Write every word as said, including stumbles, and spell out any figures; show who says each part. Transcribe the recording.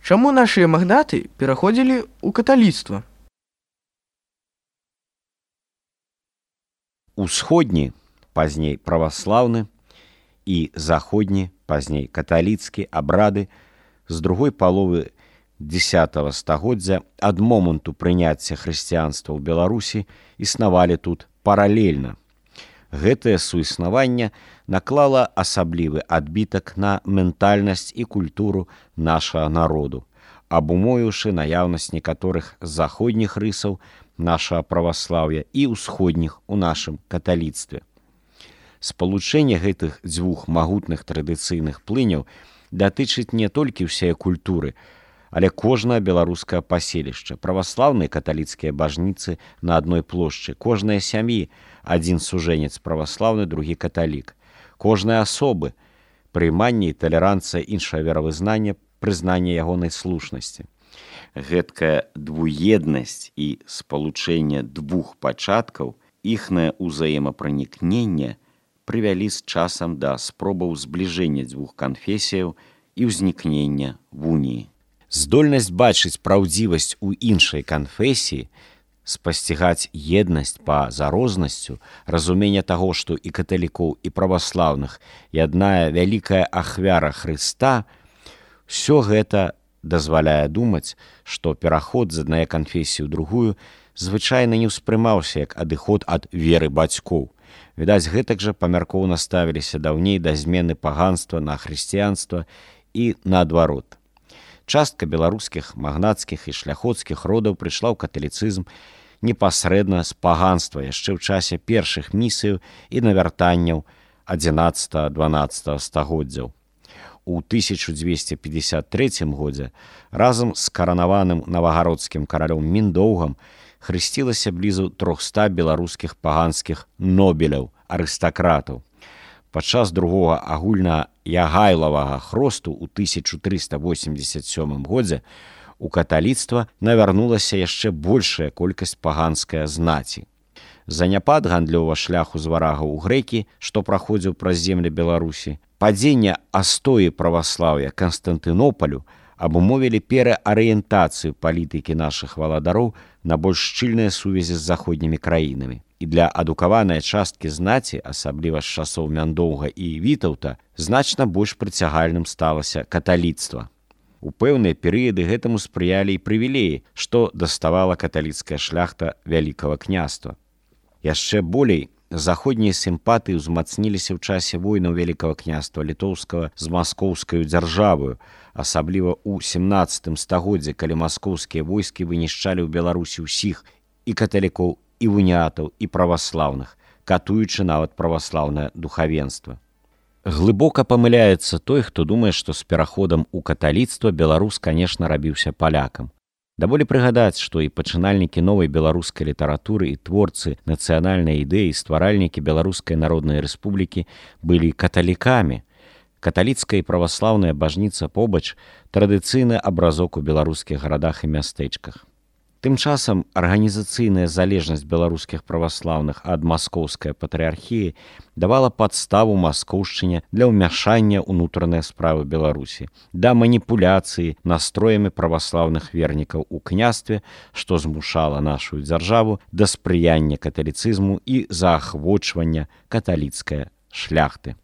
Speaker 1: Чаму нашыя магнаты пераходзілі ў каталіцтва?
Speaker 2: Усходні, пазней праваслаўны, і заходні, пазней каталіцкі абрады з другой паловы дзесятага стагоддзя ад моманту прыняцця хрысціянства ў Беларусі існавалі тут паралельна. Гэтае суіснаванне наклала асаблівы адбітак на ментальнасць і культуру нашага народу, абумовіўшы наяўнасць некаторых заходніх рысаў нашага праваслаўя і ўсходніх у нашым каталіцтве. Спалучэнне гэтых дзвюх магутных традыцыйных плыняў датычыць не толькі ўсяе культуры, але кожнае беларускае паселішча, праваслаўныя каталіцкія бажніцы на адной плошчы, кожнай сям'і, адзін сужэнец праваслаўны, другі каталік, кожнай асобы, прыйманне і талеранцыя іншае веравызнання, прызнанне ягонай слушнасці. Гэткая двуеднасць і спалучэнне двух пачаткаў, іхнае ўзаемапранікненне прывялі з часам да спробаў збліжэння дзвюх канфесіяў і ўзнікнення вуніі. Здольнасць бачыць праўдзівасць у іншай канфесіі, спасцігаць еднасць па-за рознасцю, разуменне таго, што і каталікоў, і праваслаўных яднае вялікая ахвяра Хрыста, усё гэта дазваляе думаць, што пераход з аднае канфесіі ў другую звычайна не ўспрымаўся як адыход ад веры бацькоў. Відаць, гэтак жа памяркоўна ставіліся даўней да змены паганства на хрысціянства і наадварот. Частка беларускіх магнацкіх і шляхоцкіх родаў прыйшла ў каталіцызм непасрэдна з паганства яшчэ ў часе першых місіяў і навяртанняў адзінаццатага-дванаццатага стагоддзяў. У тысяча дзвесце пятьдесят трэцім годзе разам з каранаваным навагародскім каралём Міндоўгам хрысцілася блізу трохста беларускіх паганскіх нобеляў, арыстакратаў. Падчас другога агульна-ягайлавага хросту ў тысяча трыста восемьдесят сёмым годзе у каталіцтва навярнулася яшчэ большая колькасць паганская знаці. Заняпад гандлёвага шляху з варагаў у грэкі, што праходзіў праз землі Беларусі, падзенне астоі праваслаўя Канстантынопалю абумовілі пераарыентацыю палітыкі нашых валадароў на больш шчыльныя сувязі з заходнімі краінамі. І для адукаванай часткі знаці, асабліва з часоў Мяндоўга і Вітаўта, значна больш прыцягальным сталася каталіцтва. У пэўныя перыяды гэтаму спрыялі і прывілеі, што даставала каталіцкая шляхта Вялікага княства. Яшчэ болей заходнія сімпатыі ўзмацніліся ў часе войнаў Вялікага княства літоўскага з маскоўскаю дзяржавою, асабліва ў сямнаццатым стагоддзі, калі маскоўскія войскі вынішчалі ў Беларусі ўсіх і каталікоў, і уніатаў, і праваслаўных, катуючы нават праваслаўнае духавенства. Глыбока памыляецца той, хто думае, што з пераходам у каталіцтва беларус, канешне, рабіўся палякам. Даволі прыгадаць, што і пачынальнікі новай беларускай літаратуры і творцы нацыянальнай ідэі, стваральнікі Беларускай Народнай Рэспублікі былі каталікамі. Каталіцкая і праваслаўная бажніца побач традыцыйны абразок у беларускіх гарадах і мястэчках. Тым часам арганізацыйная залежнасць беларускіх праваслаўных ад маскоўскай патрыархіі давала падставу маскоўшчыне для ўмяшання ўнутраныя справы Беларусі, да маніпуляцыі настроямі праваслаўных вернікаў у княстве, што змушала нашу дзяржаву да спрыяння каталіцызму і заахвочвання каталіцкай шляхты.